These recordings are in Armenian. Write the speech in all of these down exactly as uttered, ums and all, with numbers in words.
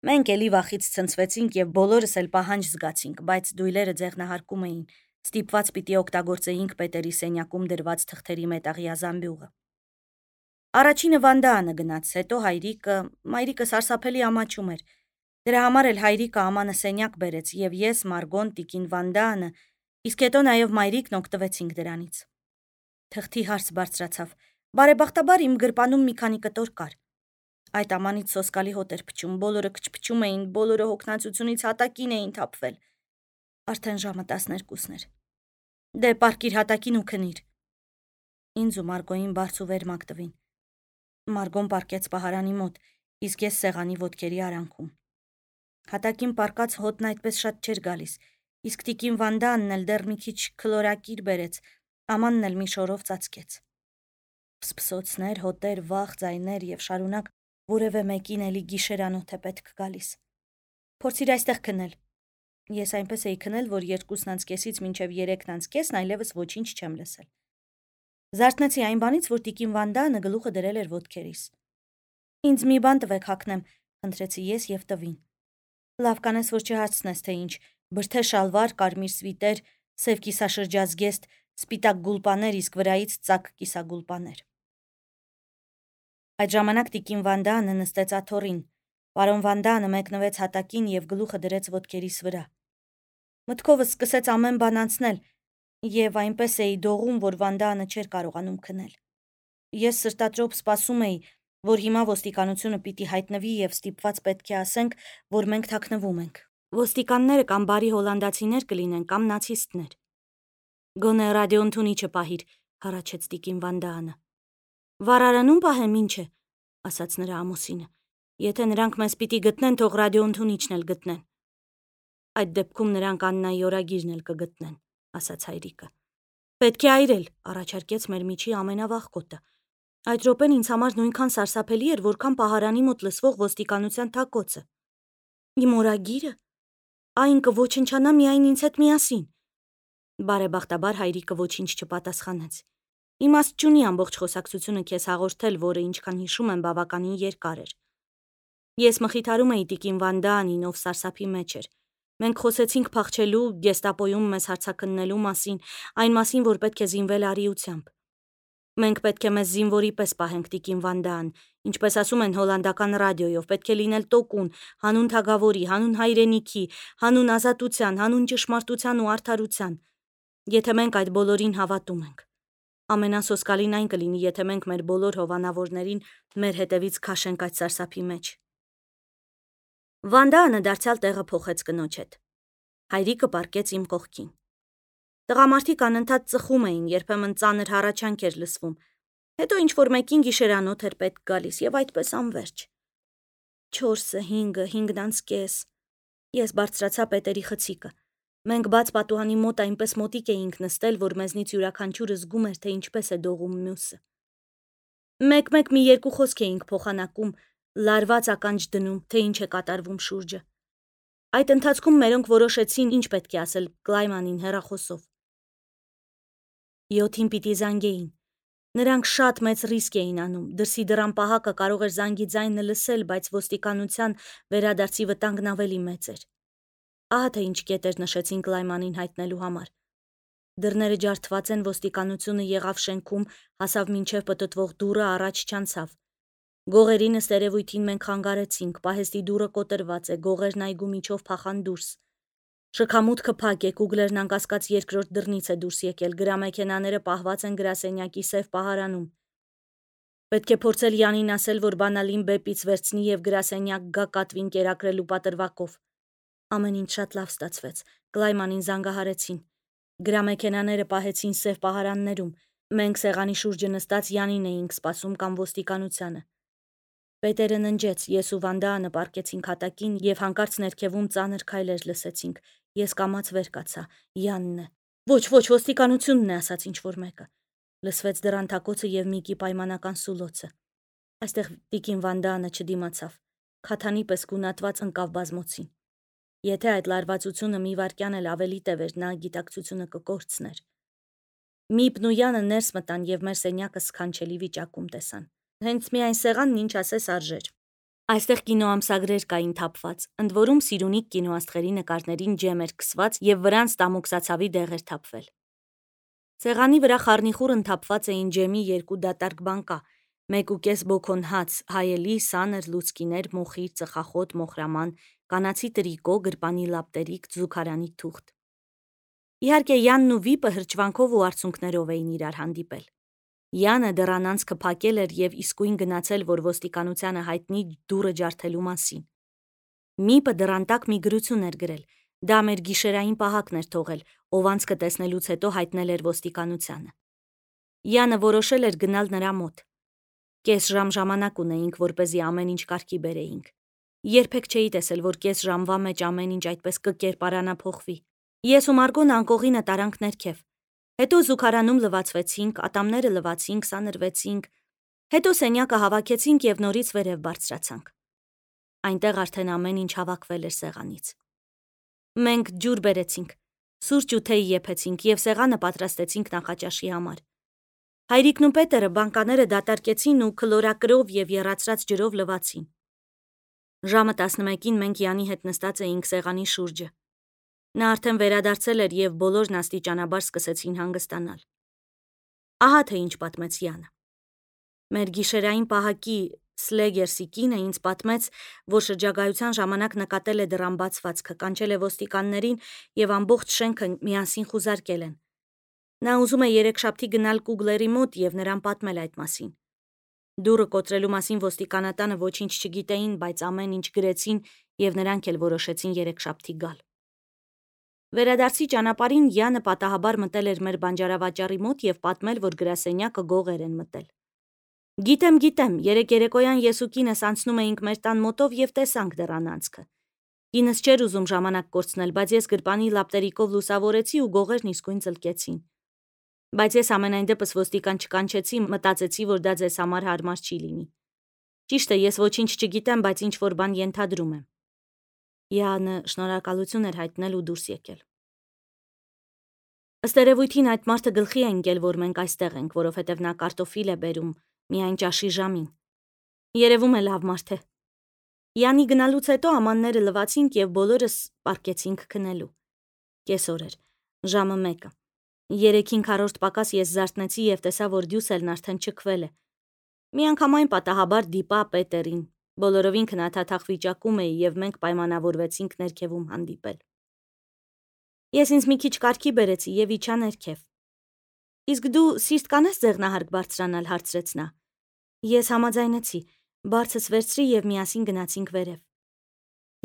Մենք էլի վախից ցնցվեցինք եւ բոլորս էլ պահանջ զգացինք, բայց դույլերը ձեղնահարկում էին, ստիպված պիտի օգտագործեինք Պետերի սենյակում դրված թղթերի մետաղյա զամբյուղը։ Առաջինը Վանդաանը գնաց, հետո հայրիկը, մայրիկը սարսափելի ամաչում էր։ Դրա համար էլ հայրիկը ամանը սենյակ բերեց եւ ես, Մարգոն, տիկին Վանդաանը, իսկ հետո նաեւ մայրիկն օգտվեցինք դրանից։ Թղթի հարց բարձրացավ։ Բարեբախտաբար իմ գրպանում մի քանի կտոր կար։ Այդ ամանից սոսկալի հոտ էր փչում, բոլորը քչփչում էին, բոլորը հոգնածությունից հատակին էին թափվել։ Արդեն ժամը տասներկուսն էր։ Դե պարկիր հատակին ու քնիր։ Ինձ ու Մարգոյին բարձ ու վեր մակտվին։ Մարգոն պարկեց պահարանի մոտ, իսկ ես սեղանի ոտքերի արանքում։ Հատակին պարկած հոտն այդպես շատ չէր գալիս, իսկ տիկին Վանդաանն էլ դեռ մի քիչ քլորակիր բերեց, ամանն էլ մի շորով ծածկեց։ Փսփսոցներ, հոտեր, վախ, ձայներ եւ շարունակ որևէ մեկին էլի գիշերանոթ է պետք գալիս։ Փորձիր այստեղ քնել։ Ես այնպես էի քնել, որ երկուսն անց կեսից մինչև երեքն անց կեսն այլևս ոչինչ չեմ լսել։ Զարթնեցի այն բանից, որ տիկին Վանդաանը գլուխը դրել էր ոտքերիս։ Ինձ մի բան տվեք հագնեմ, խնդրեցի ես եւ տվին։ Լավ կանես, որ չհարցնես, թե ինչ, բրդե շալվար, կարմիր սվիտեր, սև կիսաշրջազգեստ, սպիտակ գուլպաներ, իսկ վրայից ծակ կիսագուլպաներ։ Այդ ժամանակ տիկին Վանդաանը նստեց աթոռին, պարոն Վանդաանը մեկնվեց հատակին եւ գլուխը դրեց ոտքերիս վրա։ Մտքովս սկսեց ամեն բան անցնել, եւ այնպես էի դողում, որ Վանդաանը չէր կարողանում քնել։ Ես սրտատրոփ սպասում էի, որ հիմա ոստիկանությունը պիտի հայտնվի եւ ստիպված պետք է ասենք, որ մենք թաքնվում ենք։ Ոստիկանները կամ բարի հոլանդացիներ կլինեն, կամ նացիստներ։ Գոնե ռադիոընդունիչը պահիր, հառաչեց տիկին Վանդաանը։ Վարարանում պահեմ, ինչ է, ասաց նրա ամուսինը։ Եթե նրանք մեզ պիտի գտնեն, թող ռադիոընդունիչն էլ գտնեն։ Այդ դեպքում նրանք Աննայի օրագիրն էլ կգտնեն, ասաց հայրիկը։ Պետք է այրել, առաջարկեց մեր միջի ամենավաղկոտը։ Այդ րոպեն ինձ համար նույնքան սարսափելի էր, որքան պահարանի մոտ լսվող ոստիկանության թակոցը։ Իմ օրագիրը, այն կոչնչանա միայն ինձ հետ միասին։ Բարեբախտաբար հայրիկը ոչինչ չպատասխանեց։ Իմաստ չունի ամբողջ խոսակցությունը քեզ հաղորդել, որը ինչքան հիշում եմ բավականին երկար էր։ Ես մխիթարում էի տիկին Վանդաանին, ով սարսափի մեջ էր։ Մենք խոսեցինք փախչելու, գեստապոյում մեզ հարցաքննելու մասին, այն մասին, որ պետք է զինվել արիությամբ։ Մենք պետք է մեզ զինվորի պես պահենք, տիկին Վանդաան, ինչպես ասում են հոլանդական ռադիոյով, պետք է լինել տոկուն, հանուն թագավորի, հանուն հայրենիքի, հանուն ազատության, հանուն ճշմարտության ու արդարության։ Եթե մենք այդ բոլորին հավատում ենք։ Ամենասոսկալին այն կլինի, եթե մենք մեր բոլոր հովանավորներին մեր հետևից քաշենք այդ սարսափի մեջ։ Վանդաանը դարձյալ տեղը փոխեց կնոջ հետ։ Հայրիկը պառկեց իմ կողքին։ Տղամարդիկ անընդհատ ծխում էին, երբեմն ծանր հառաչանք էր լսվում։ Հետո ինչ-որ մեկին գիշերանոթ էր պետք գալիս եւ այդպես անվերջ։ Չորսը, հինգը, հինգն անց կես։ Ես բարձրացա Պետերի խցիկը։ Մենք բաց պատուհանի մոտ այնպես մոտիկ էինք նստել, որ մեզնից յուրաքանչյուրը զգում էր, թե ինչպես է դողում մյուսը։ Մեկ-մեկ մի երկու խոսք էինք փոխանակում, լարված ականջ դնում, թե ինչ է կատարվում շուրջը։ Այդ ընթացքում մերոնք որոշեցին, ինչ պետք է ասել Կլայմանին հեռախոսով։ Յոթին պիտի զանգեին։ Նրանք շատ մեծ ռիսկ էին անում, դրսի դռան պահակը կարող էր զանգի ձայնը լսել, բայց ոստիկանության վերադարձի վտանգն ավելի մեծ էր։ Ահա թե ինչ կետեր նշեցին Կլայմանին հայտնելու համար։ Դռները ջարդված են, ոստիկանությունը եղավ շենքում, հասավ մինչև պտտվող դուռը, առաջ չանցավ։ Գողերին ըստ երևույթին մենք խանգարեցինք, պահեստի դուռը կոտրված է, գողերն այգու միջով փախան դուրս։ Շքամուտքը փակ է, Կուգլերն անկասկած երկրորդ դռնից է դուրս եկել, գրամեքենաները պահված են գրասենյակի սև պահարանում։ Պետք է փորձել Յանին ասել, որ բանալին բեպից վերցնի եւ գրասենյակ գա կատվին կերակրելու պատրվակով։ Ամեն ինչ շատ լավ ստացվեց։ Կլայմանին զանգահարեցին։ Գրամեքենաները պահեցին սև պահարաններում։ Մենք սեղանի շուրջը նստած Յանին էինք սպասում կամ ոստիկանությանը։ Պետերը ննջեց, ես ու Վանդաանը պառկեցինք հատակին եւ հանկարծ ներքևում ծանր քայլեր լսեցինք։ Ես կամաց վեր կացա։ Յանն է։ Ոչ, ոչ, ոստիկանությունն է, ասաց ինչ-որ մեկը։ Լսվեց դռան թակոցը եւ Միկի պայմանական սուլոցը։ Այստեղ տիկին Վանդաանը չդիմացավ։ Քաթանի պես գունատված ընկավ բազմոցին։ Եթե այդ լարվածությունը մի վայրկյան էլ ավելի տևեր, նա գիտակցությունը կկորցներ։ Միպն ու Յանը ներս մտան եւ մեր սենյակը սքանչելի վիճակում տեսան։ Հենց միայն սեղանն ինչ ասես արժեր։ Այստեղ կինոամսագրեր կային թափված, ընդ որում Սիրունիկ կինոաստղերի նկարներին ջեմ էր քսված եւ վրանց տամուկսացավի դեղ էր թափվել։ Սեղանի վրա խառնիխուռն թափված էին ջեմի երկու դատարկ բանկա, մեկ ու կես բոքոն հաց, հայելի, սանր լուցկիներ, մոխիր, ծխախոտ, մոխրաման, կանացի տրիկո, գրպանի լապտերիկ, զուգարանի թուղթ։ Իհարկե Յանն ու Վիպը հրճվանքով ու արցունքներով էին իրար հանդիպել։ Յանը դեռ անցքը փակել էր եւ իսկույն գնացել, որ ոստիկանությանը հայտնի դուռը ջարդելու մասին։ Միպը դրանտակ մի գրություն էր գրել, դա մեր գիշերային պահակն էր թողել, ով անցքը տեսնելուց հետո հայտնել էր ոստիկանությանը։ Յանը որոշել էր գնալ նրա մոտ։ Կես ժամ ժամանակ ունեինք, որպեսզի ամեն ինչ կարգի բերեինք։ Երբեք չէի տեսել, որ կես ժամվա մեջ ամեն ինչ այդպես կկերպարանափոխվի։ Ես ու Մարգոն անկողինը տարանք ներքև։ Հետո զուգարանում լվացվեցինք, ատամները լվացինք, սանրվեցինք, հետո սենյակը հավաքեցինք եւ նորից վերև բարձրացանք։ Այնտեղ արդեն ամեն ինչ հավաքվել էր սեղանից։ Մենք ջուր բերեցինք, սուրճ ու թեյ եփեցինք եւ սեղանը պատրաստեցինք նախաճաշի համար։ Հայրիկն ու Պետերը բանկաները դատարկեցին ու քլորակրով եւ եռացրած ջրով լվացին։ Ժամը տասնմեկին մենք Յանի հետ նստած էինք սեղանի շուրջը։ Նա արդեն վերադարձել էր եւ բոլորն աստիճանաբար սկսեցին հանգստանալ։ Ահա թե ինչ պատմեց Յանը։ Մեր գիշերային պահակի Սլեգերսի կինը ինձ պատմեց, որ շրջագայության ժամանակ նկատել է դռան բացվածքը, կանչել է ոստիկաններին եւ ամբողջ շենքը միասին խուզարկել են։ Նա ուզում է երեքշաբթի գնալ Կուգլերի մոտ եւ նրան պատմել այդ մասին։ Դուռը կոտրելու մասին ոստիկանատանը ոչինչ չգիտեին, բայց ամեն ինչ գրեցին եւ նրանք էլ որոշեցին երեքշաբթի գալ։ Վերադարձի ճանապարհին Յանը պատահաբար մտել էր մեր բանջարավաճառի մոտ եւ պատմել, որ գրասենյակը գողեր են մտել։ Գիտեմ, գիտեմ, երեք երեկոյան ես ու կինս անցնում էինք մեր տան մոտով եւ տեսանք դռան անցքը։ Կինս չէր ուզում ժամանակ կորցնել, բայց ես գրպանի լապտերիկով լուսավորեցի ու գողերն իսկույն ծլկեցին։ Բայց ես ամենայն դեպս ոստիկան չկանչեցի, մտածեցի, որ դա ձեզ համար հարմար չի լինի։ Ճիշտ է, ես ոչինչ չգիտեմ, բայց ինչ որ բան ենթադրում եմ։ Յանը շնորհակալություն էր հայտնել ու դուրս եկել։ Ըստ երևույթին այդ մարդը գլխի է ընկել, որ մենք այստեղ ենք, որովհետև նա կարտոֆիլ է բերում միայն ճաշի ժամին։ Երևում է լավ մարդ է։ Յանի գնալուց հետո ամանները լվացինք եւ բոլորս պառկեցինք քնելու։ Կեսօր էր, ժամը մեկը։ Երեքին քառորդ պակաս ես զարթնեցի եւ տեսա, որ դյուսելն արդեն չքվել է։ Միանգամայն պատահաբար դիպա Պետերին։ Բոլորովին քնաթաթախ վիճակում էի եւ մենք պայմանավորվեցինք ներքևում հանդիպել։ Ես ինձ մի քիչ կարգի բերեցի եւ իջա ներքև։ Իսկ դու սիրտ կանես ձեղնահարկ բարձրանալ, հարցրեց նա։ Ես համաձայնեցի, բարձս վերցրի եւ միասին գնացինք վերև։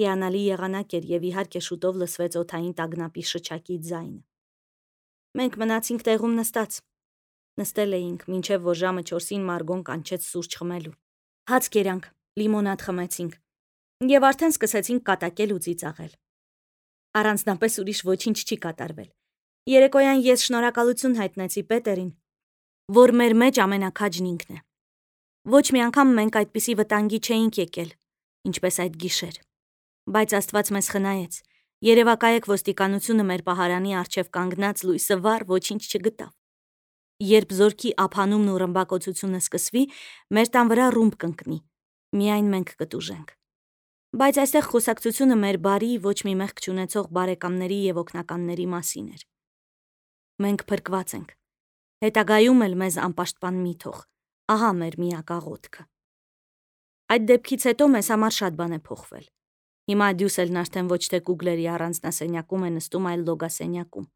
Հիանալի եղանակ էր եւ իհարկե շուտով լսվեց օդային տագնապի շչակի ձայնը։ Մենք մնացինք տեղում նստած։ Նստել էինք, մինչև որ ժամը չորսին Մարգոն կանչեց սուրճ խմելու։ Հաց կերանք, լիմոնադ խմեցինք եւ արդեն սկսեցինք կատակել ու ծիծաղել։ Առանձնապես ուրիշ ոչինչ չի կատարվել։ Երեկոյան ես շնորհակալություն հայտնեցի Պետերին, որ մեր մեջ ամենակաջն ինքն է։ Ոչ մի անգամ մենք այդպիսի վտանգի չէինք եկել, ինչպես այդ գիշեր։ Բայց Աստված մեզ խնայեց։ Երևակայեք ոստիկանությունը մեր պահարանի առջև կանգնած լույսը վառ ոչինչ չգտավ։ Երբ զորքի ափանումն ու ռմբակոծությունը սկսվի, մեր տան վրա ռումբ կընկնի։ Միայն մենք կտուժենք։ Բայց այստեղ խոսակցությունը մեր բարի, ոչ մի մեղք չունեցող բարեկամների եւ օգնականների մասին էր։ Մենք փրկված ենք։ Հետագայում էլ մեզ անպաշտպան մի թող։ Ահա մեր միակ աղոթքը։ Այդ դեպքից հետո մեզ համար շատ բան է փոխվել։ Հիմա դյուսելն արդեն ոչ թե Կուգլերի առանձնասենյակում է նստում, այլ լոգասենյակում։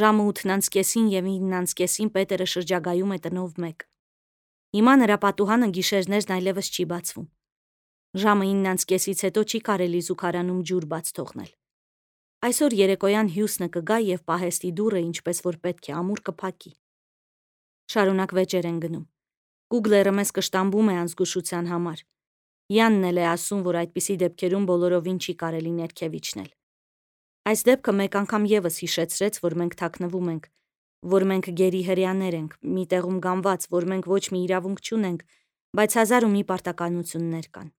Ժամը ութն անց կեսին եւ ինն անց կեսին Պետերը շրջագայում է տնով մեկ։ Հիմա նրա պատուհանը գիշերներն այլևս չի բացվում։ Ժամը ինն անց կեսից հետո չի կարելի զուգարանում ջուր բաց թողնել։ Այսօր երեկոյան Հյուսնը կգա եւ պահեստի դուռը, ինչպես որ պետք է, ամուր կփակի։ Շարունակ վեճեր են գնում։ Կուգլերը մեզ կշտամբում է անզգուշության համար։ Յանն էլ է ասում, որ այդպիսի դեպքերում բոլորովին չի կարելի ներքև իջնել։ Այս դեպքը մեկ անգամ եւս հիշեցրեց, որ մենք թաքնվում ենք, որ մենք գերի հրյաներ ենք, մի տեղում գանված, որ մենք ոչ մի իրավունք չունենք, բայց հազար ու մի պարտականություններ կան։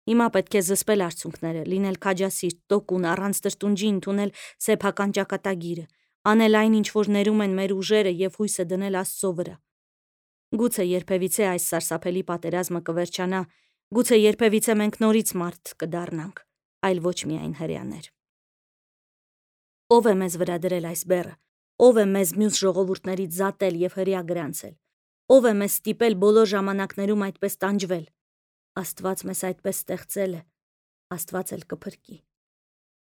Հիմա պետք է զսպել արցունքները, լինել քաջասիրտ, տոկուն, առանց տրտունջի ընդունել սեփական ճակատագիրը, անել այն, ինչ որ ներում են մեր ուժերը եւ հույսը դնել Աստծո վրա։ Գուցե երբևիցե այս սարսափելի պատերազմը կվերջանա, Գուցե երբևիցե մենք նորից մարդ կդառնանք, այլ ոչ միայն հրեաներ։ Ո՞վ է մեզ վրա դրել այս բեռը, ո՞վ է մեզ մյուս ժողովուրդներից զատել և հրեա գրանցել, ո՞վ է մեզ ստիպել բոլոր ժամանակներում այդպես տանջվել։ Աստված մեզ այդպես ստեղծել է, Աստված էլ կփրկի։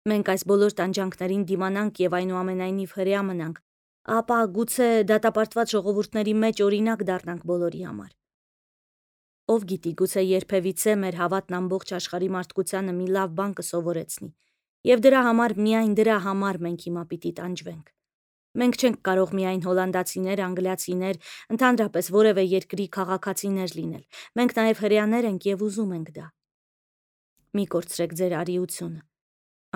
Մենք այս բոլոր տանջանքներին դիմանանք և այնուամենայնիվ հրեա մնանք, ապա գուցե դատապարտված ժողովուրդների մեջ օրինակ դառնանք բոլորի համար։ Ով գիտի, գուցե երբևիցե մեր հավատն ամբողջ աշխարհի մարդկությանը մի լավ բան կսովորեցնի, և դրա համար, միայն դրա համար մենք հիմա պիտի տանջվենք։ Մենք չենք կարող միայն հոլանդացիներ, անգլիացիներ, ընդհանրապես որևէ երկրի քաղաքացիներ լինել։ Մենք նաև հրեաներ ենք և ուզում ենք դա։ Մի կորցրեք ձեր արիությունը։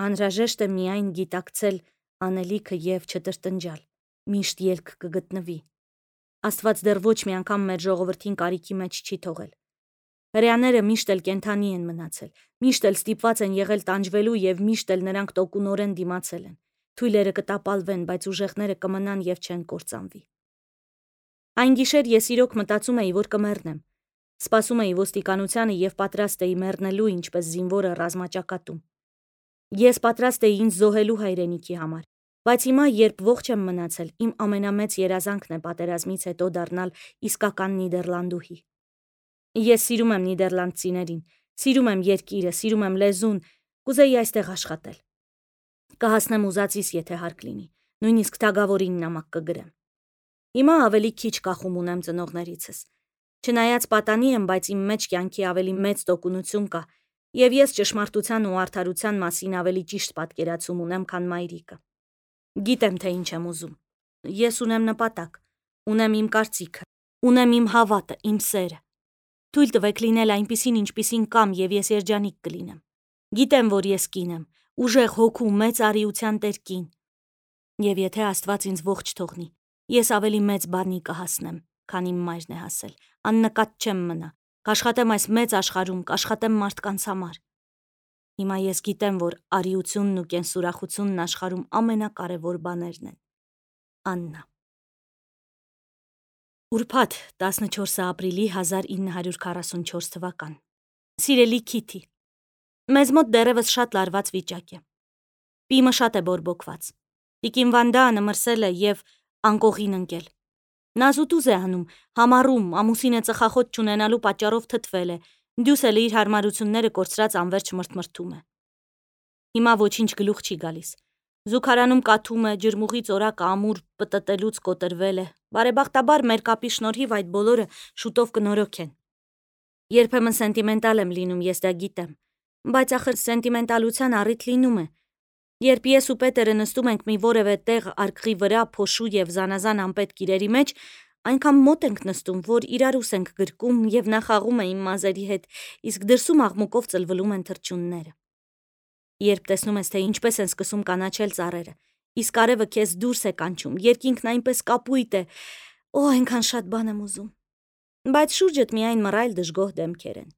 Անհրաժեշտ է միայն գիտակցել անելիքը և չտրտնջալ։ Միշտ ելք կգտնվի։ Աստված դեռ ոչ մի անգամ մեր ժողովրդին կարիքի մեջ չի թողել։ Հրեաները միշտ էլ կենդանի են մնացել, միշտ էլ ստիպված են եղել տանջվելու և միշտ էլ նրանք տոկունորեն դիմացել են։ Թույլերը կտապալվեն, բայց ուժեղները կմնան և չեն կործանվի։ Այն գիշեր ես իրոք մտածում էի, որ կմեռնեմ։ Սպասում էի ոստիկանությանը և պատրաստ էի մեռնելու, ինչպես զինվորը ռազմաճակատում։ Ես պատրաստ էի ինձ զոհելու հայրենիքի համար, բայց հիմա, երբ ողջ եմ մնացել, իմ ամենամեծ երազանքն է պատերազմից հետո դառնալ իսկական նիդերլանդուհի։ Ես սիրում եմ նիդերլանդցիներին, սիրում եմ երկիրը, սիրում եմ լեզուն, կուզեի այստեղ աշխատել։ Կհասնեմ ուզածիս, եթե հարկ լինի, նույնիսկ թագավորին նամակ կգրեմ։ Հիմա ավելի քիչ կախում ունեմ ծնողներիցս։ Չնայած պատանի եմ, բայց իմ մեջ կյանքի ավելի մեծ տոկունություն կա, և ես ճշմարտության ու արդարության մասին ավելի ճիշտ պատկերացում ունեմ, քան մայրիկը։ Գիտեմ, թե ինչ եմ ուզում։ Ես ունեմ նպատակ, ունեմ իմ կարծիքը, ունեմ իմ հավատը, իմ սերը։ Թույլ տվեք լինել այնպիսին, ինչպիսին կամ, և ես երջանիկ կլինեմ։ Գիտեմ, որ ես կին եմ, ուժեղ հոգու մեծ արիության տեր կին։ Եվ եթե Աստված ինձ ողջ թողնի, ես ավելի մեծ բանի կհասնեմ, քան իմ մայրն է հասել, աննկատ չեմ մնա, կաշխատեմ այս մեծ աշխարհում, կաշխատեմ մարդկանց համար։ Հիմա ես գիտեմ, որ արիությունն ու կենսուրախությունն աշխարհում ամենակարևոր բաներն են։ Աննա։ Ուրբաթ տասնչորսը ապրիլի հազար ինը հարյուր քառասունչորս թվական։ Սիրելի Քիթի, մեզ մոտ դեռևս շատ լարված վիճակ է։ Պիմը շատ է բորբոքված։ Տիկին Վանդանը մրսել է և անկողին ընկել։ Նա զուտուզ է անում, համառում, ամուսինը ծխախոտ չունենալու պատճառով թթվել է, դյուսելը իր հարմարությունները կորցրած անվերջ մրթմրթում է։ Հիմա ոչինչ գլուխ չի գալիս։ Զուգարանում կաթում է, ջրմուղի ծորակը ամուր պտտելուց կոտրվել է։ Բարեբախտաբար մեր կապի շնորհիվ այդ բոլորը շուտով կնորոգեն։ Երբեմն սենտիմենտալ եմ լինում, ես դա գիտեմ, բայց ախր սենտիմենտալության առիթ լինում է։ Երբ ես ու Պետերը նստում ենք մի որևէ տեղ արկղի վրա, փոշու և զանազան անպետք իրերի մեջ, այնքան մոտ ենք նստում, որ իրար ուս ենք գրկում և նա խաղում է իմ մազերի հետ, իսկ դրսում աղմուկով ծլվլում են թռչունները։ Երբ տեսնում ես, թե ինչպես են սկսում կանաչել ծառերը, իսկ արևը քեզ դուրս է կանչում, երկինքն այնպես կապույտ է, օ, այնքան շատ բան եմ ուզում։ Բայց շուրջդ միայն մռայլ դժգոհ դեմքեր են։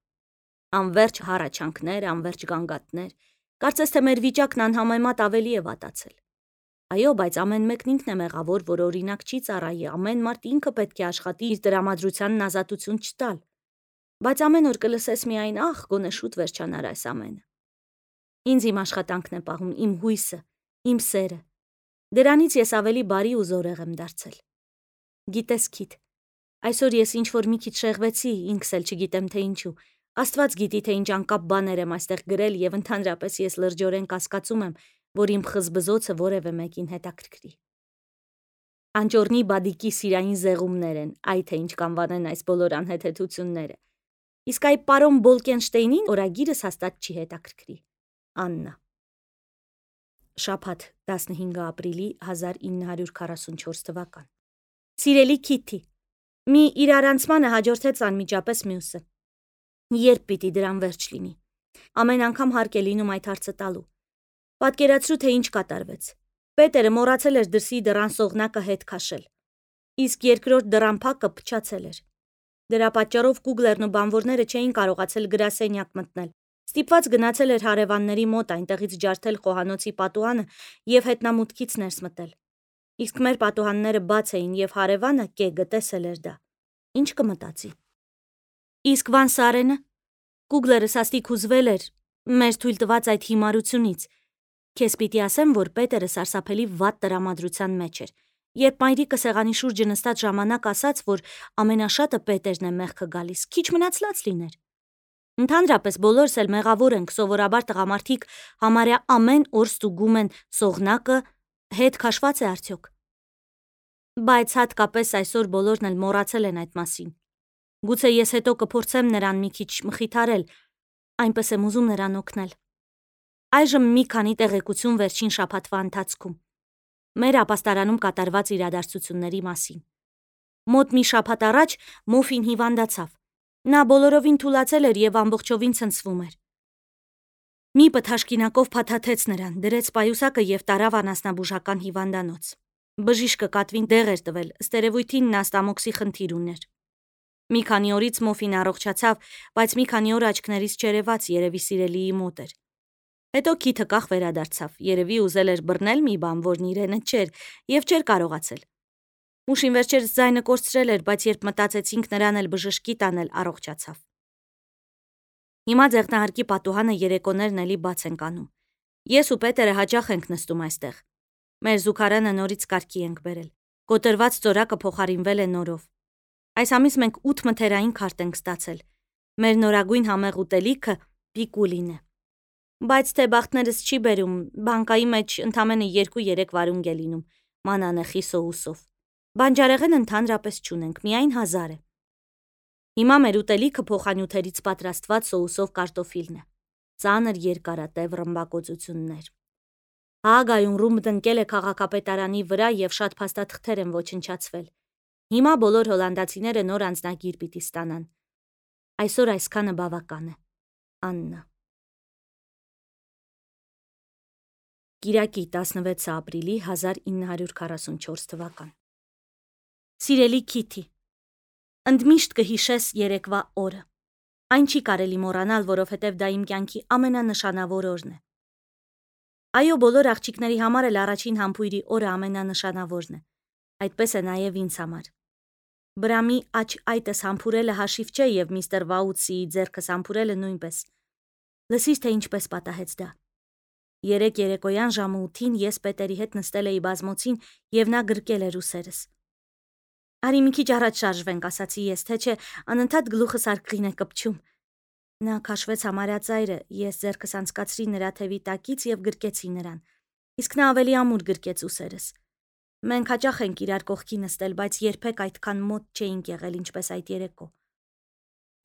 Անվերջ հառաչանքներ, անվերջ գանգատներ, կարծես թե մեր վիճակն անհամեմատ ավելի է վատացել։ Այո, բայց ամեն մեկն ինքն է մեղավոր, որ օրինակ չի ծառայի, ամեն մարդ ինքը պետք է աշխատի իր տրամադրությանն ազատություն չտալ։ Բայց ամեն օր կլսես միայն ախ, գոնե շուտ վերջանար այս ամենը։ Ինձ իմ աշխատանքն է պահում, իմ հույսը, իմ սերը։ Դրանից ես ավելի բարի ու զորեղ եմ դարձել։ Գիտես, Քիթ, այսօր ես ինչ-որ մի քիչ շեղվեցի, ինքս էլ չգիտեմ, թե ինչու։ Աստված գիտի, թե ինչ անկապ բաներ եմ այստեղ գրել, և ընդհանրապես ես լրջորեն կասկածում եմ, որ իմ խզբզոցը որևէ մեկին հետաքրքրի։ Անճոռնի բադիկի սիրային զեղումներ են, այ թե ինչ կանվանեն այս բոլոր անհեթեթությունները։ Իսկ այ պարոն Բոլկենշտեյնին օրագիրս հաստատ չի հետաքրքրի։ Աննա։ Շաբաթ տասնհինգ ապրիլի հազար ինը հարյուր քառասունչորս թվական։ Սիրելի Քիթի, մի իրարանցմանը հաջորդեց անմիջապես մյուսը։ Երբ պիտի դրան վերջ լինի։ Ամեն անգամ հարկ է լինում այդ հարցը տալու։ Պատկերացրու, թե ինչ կատարվեց։ Պետերը մոռացել էր դրսի դռան սողնակը հետ քաշել, իսկ երկրորդ դռան փակը փչացել էր։ Դրա պատճառով Կուգլերն ու բանվորները չէին կարողացել գրասենյակ մտնել։ Ստիպված գնացել էր հարևանների մոտ, այնտեղից ջարդել խոհանոցի պատուհանը և հետնամուտքից ներս մտել։ Իսկ մեր պատուհանները բաց էին, և հարևանը կեգը տեսել էր դա։ Ինչ կմտածի։ Իսկ Վան Սարենը։ Կուգլերը սաստիկ հուզվել էր մեր թույլ տված այդ հիմարությունից։ Քեզ պիտի ասեմ, որ Պետերը սարսափելի վատ տրամադրության մեջ էր, երբ մայրիկը սեղանի շուրջը նստած ժամանակ ասաց, որ ամենաշատը Պետերն է մեղքը գալիս, քիչ մնաց լաց լիներ։ Ընդհանրապես բոլորս էլ մեղավոր ենք, սովորաբար տղամարդիկ համարյա ամեն օր ստուգում են սողնակը հետ քաշված է արդյոք։ Բայց հատկապես այսօր բոլորն էլ մոռացել են այդ մասին։ Գուցե ես հետո կփորձեմ նրան մի քիչ մխիթարել, այնպես եմ ուզում նրան օգնել։ Այժմ մի քանի տեղեկություն վերջին շաբաթվա ընթացքում։ Մեր ապաստարանում կատարված իրադարձությունների մասին։ Մոտ մի շաբաթ առաջ Մոֆին հիվանդացավ։ Նա բոլորովին թուլացել էր եւ ամբողջովին ցնցվում էր։ Մի պթաշկինակով փաթաթեց նրան, դրեց պայուսակը եւ տարավ անասնաբուժական հիվանդանոց։ Բժիշկը կատվին դեղ էր տվել, ստերևույթին նա ստամոքսի խնդիր ուներ։ Մի քանի օրից Մոֆին առողջացավ, բայց մի քանի օր աչքներից չերևաց, երևի սիրելիի մոտ էր։ Հետո քիթը կախ վերադարձավ, երևի ուզել էր բռնել մի բան, որն իրենը չէր, եւ չէր կարողացել։ Մուշին վերջերս ձայնը կորցրել էր, բայց երբ մտածեցինք նրան էլ բժշկի տանել, առողջացավ։ Հիմա ձեղնահարկի պատուհանը երեկոներն էլի բաց ենք անում։ Ես ու Պետերը հաճախ ենք նստում այստեղ։ Մեր զուգարանը նորից կարգի ենք բերել։ Կոտրված ծորակը փոխարինվել է նորով։ Այս ամիս մենք ութ մթերային քարտ ենք ստացել։ Մեր նորագույն համեղ ուտելիքը պիկուլին է։ Բայց թե բախտներս չի բերում, բանկայի մեջ ընդամենը երկու-երեք վարունգ է լինում, մանանեխի սոուսով։ Բանջարեղեն ընդհանրապես չունենք, միայն հազար է։ Հիմա մեր ուտելիքը փոխանյութերից պատրաստված սոուսով կարտոֆիլն է։ Ծանր երկարատև ռմբակոծություններ։ Հագայում ռումբ տնկել է քաղաքապետարանի վրա եւ շատ փաստաթղթեր են ոչնչացվել։ Հիմա բոլոր հոլանդացիները նոր անձնագիր պիտի ստանան։ Այսօր այսքանը բավական է։ Աննա։ Կիրակի տասնվեցը ապրիլի հազար ինը հարյուր քառասունչորս թվական։ Սիրելի Քիթի, ընդմիշտ կհիշես երեկվա օրը։ Այն չի կարելի մոռանալ, որովհետև դա իմ կյանքի ամենանշանավոր օրն է։ Այո, բոլոր աղջիկների համար էլ առաջին համբույրի օրը ամենանշանավորն է։ Այդպես է նաև ինձ համար։ Բրամի աջ այտս համբուրելը հաշիվ չէ եւ միստր Վաուտսիի ձեռքս համբուրելը նույնպես։ Լսիր, թե ինչպես պատահեց դա։ Երեք երեկոյան ժամը ութին ես Պետերի հետ նստել էի բազմոցին եւ նա գրկել էր ուսերս։ Արի մի քիչ առաջ շարժվենք, ասացի ես, թե չէ անընդհատ գլուխս արկղին է կպչում։ Նա քաշվեց համարյա ծայրը, ես ձեռքս անցկացրի նրա թևի տակից եւ գրկեցի նրան։ Իսկ նա ավելի ամուր գրկեց ուսերս։ Մենք հաճախ ենք իրար կողքի նստել, բայց երբեք այդքան մոտ չէինք եղել, ինչպես այդ երեկո։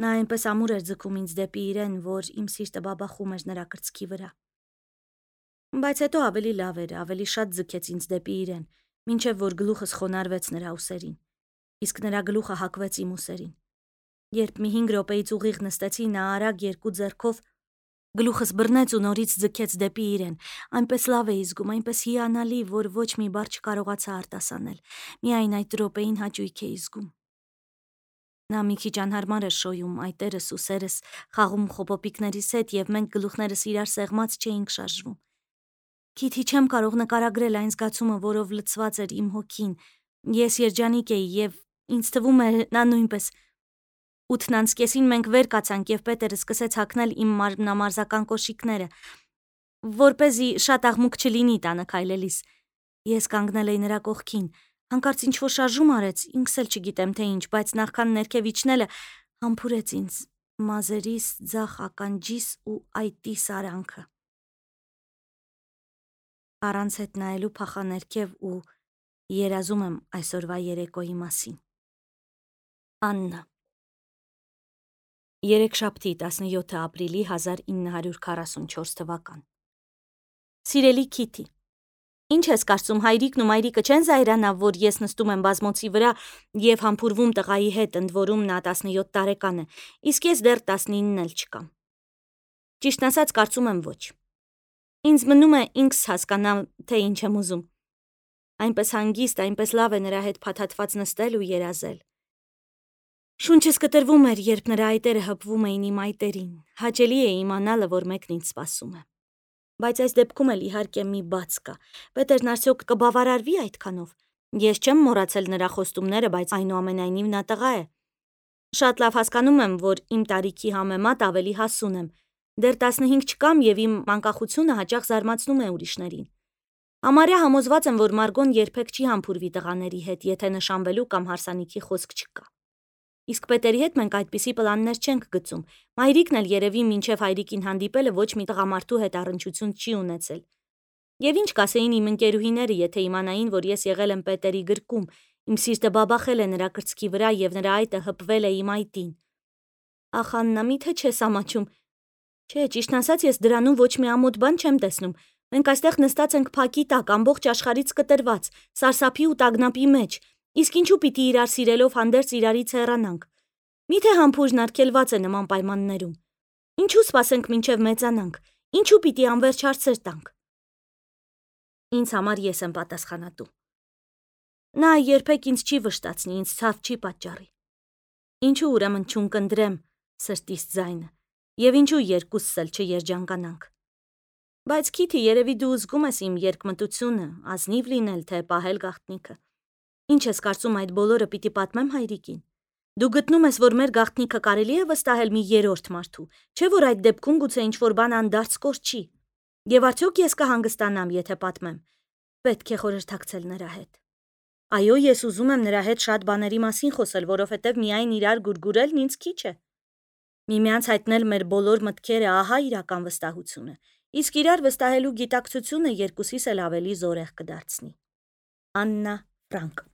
Նա այնպես ամուր էր ձգում ինձ դեպի իրեն, որ իմ սիրտը բաբախում էր նրա կրծքի վրա։ Բայց հետո ավելի լավ էր, ավելի շատ ձգեց ինձ դեպի իրեն, մինչև որ գլուխս խոնարհվեց նրա ուսերին, իսկ նրա գլուխը հակվեց իմ ուսերին։ Երբ մի հինգ րոպեից ուղիղ նստեցի, նա արագ երկու ձեռքով գլուխս բռնեց ու նորից ձգեց դեպի իրեն, այնպես լավ էի զգում, այնպես հիանալի, որ ոչ մի բառ չկարողացա արտասանել, միայն այդ րոպեին հաճույք էի զգում։ Նա մի քիչ անհարմար էր շոյում, այտերս ու սերս խաղում խոպոպիկներիս հետ եւ մենք գլուխներս իրար սեղմած չէինք շարժվում։ Քիթի չեմ կարող նկարագրել այն զգացումը, որով լցված էր իմ հոգին։ Ես երջանիկ էի եւ ինձ թվում է նա նույնպես։ Ութն անց կեսին մենք վեր կացանք եւ Պետերը սկսեց հագնել իմ մարմնամարզական կոշիկները, որպեսզի շատ աղմուկ չլինի տանը քայլելիս։ Ես կանգնել էի նրա կողքին, հանկարծ ինչ-որ շարժում արեց, ինքս էլ չգիտեմ թե ինչ, բայց նախքան ներքև իջնելը համբուրեց ինձ մազերիս, ձախ ականջիս ու այտի սարանքը։ Առանց հետ նայելու փախա ներքև ու երազում եմ այսօրվա երեկոյի մասին։ Աննա։ Երեքշաբթի տասնյոթը ապրիլի հազար ինը հարյուր քառասունչորս թվական։ Սիրելի Քիթի, ինչ ես կարծում, հայրիկն ու մայրիկը չեն զայրանա, որ ես նստում եմ բազմոցի վրա եւ համբուրվում տղայի հետ, ընդ որում նա տասնյոթ տարեկան է, իսկ ես դեռ տասնինն էլ չկամ։ Ճիշտն ասած, կարծում եմ ոչ։ Ինձ մնում է ինքս հասկանամ, թե ինչ եմ ուզում։ Այնպես հանգիստ, այնպես լավ է նրա հետ փաթաթված նստել ու երազել։ Շունչս կտրվում էր, երբ նրա այտերը հպվում էին իմ այտերին։ Հաճելի է իմանալը, որ մեկն ինձ սպասում է։ Բայց այս դեպքում էլ իհարկե մի բաց կա։ Պետերն արդյոք կբավարարվի այդքանով։ Ես չեմ մոռացել նրա խոստումները, բայց այնուամենայնիվ նա տղա է։ Շատ լավ հասկանում եմ, որ իմ տարիքի համեմատ ավելի հասուն եմ։ Դեռ տասնհինգ չկամ եւ իմ անկախությունը հաճախ զարմացնում է ուրիշներին։ Համարյա համոզված եմ, որ Մարգոն երբեք չի համբուրվի տղաների հետ, եթե նշանվելու կամ հարսանիքի խոսք չկա։ Իսկ Պետերի հետ մենք այդպիսի պլաններ չենք գծում։ Մայրիկն էլ երևի մինչև հայրիկին հանդիպելը ոչ մի տղամարդու հետ առնչություն չի ունեցել։ Եվ ինչ կասեին իմ ընկերուհիները, եթե իմանային, որ ես եղել եմ Պետերի գրկում, իմ սիրտը բաբախել է նրա կրծքի վրա եւ նրա այտը հպվել է իմ այտին։ Ախ Աննա, միթե չես ամաչում։ Չէ, ճիշտն ասած, ես դրանում ոչ մի ամոթ բան չեմ տեսնում։ Մենք այստեղ նստած ենք փակի տակ, ամբողջ աշխարհից կտրված, սարսափի ու տագնապի մեջ։ Իսկ ինչու պիտի իրար սիրելով հանդերձ իրարից հեռանանք։ Միթե համբույրն արգելված է նման պայմաններում։ Ինչու սպասենք մինչև մեծանանք։ Ինչու պիտի անվերջ հարցեր տանք։ Ինձ համար ես եմ պատասխանատու։ Նա երբեք ինձ չի վշտացնի, ինձ ցավ չի պատճառի։ Ինչու ուրեմն չունկնդրեմ սրտիս ձայնը, եւ ինչու երկուսս էլ չերջանկանանք։ Բայց Քիթի, երևի դու զգում ես իմ երկմտությունը, ազնիվ լինել, թե պահել գաղտնիքը։ Ինչ ես կարծում, այդ բոլորը պիտի պատմեմ հայրիկին։ Դու գտնում ես, որ մեր գաղտնիքը կարելի է վստահել մի երրորդ մարդու, չէ՞ որ այդ դեպքում գուցե ինչ-որ բան անդարձ կորչի։ Եվ արդյոք ես կհանգստանամ, եթե պատմեմ։ Պետք է խորհրդակցել նրա հետ։ Այո, ես ուզում եմ նրա հետ շատ բաների մասին խոսել, որովհետև միայն իրար գուրգուրելն ինձ քիչ է։ Միմյանց հայտնել մեր բոլոր մտքերը, ահա իրական վստահությունը։ Իսկ իրար վստահելու գիտակցությունը երկուսիս էլ ավելի զորեղ կդարձնի։ Աննա Ֆրանկ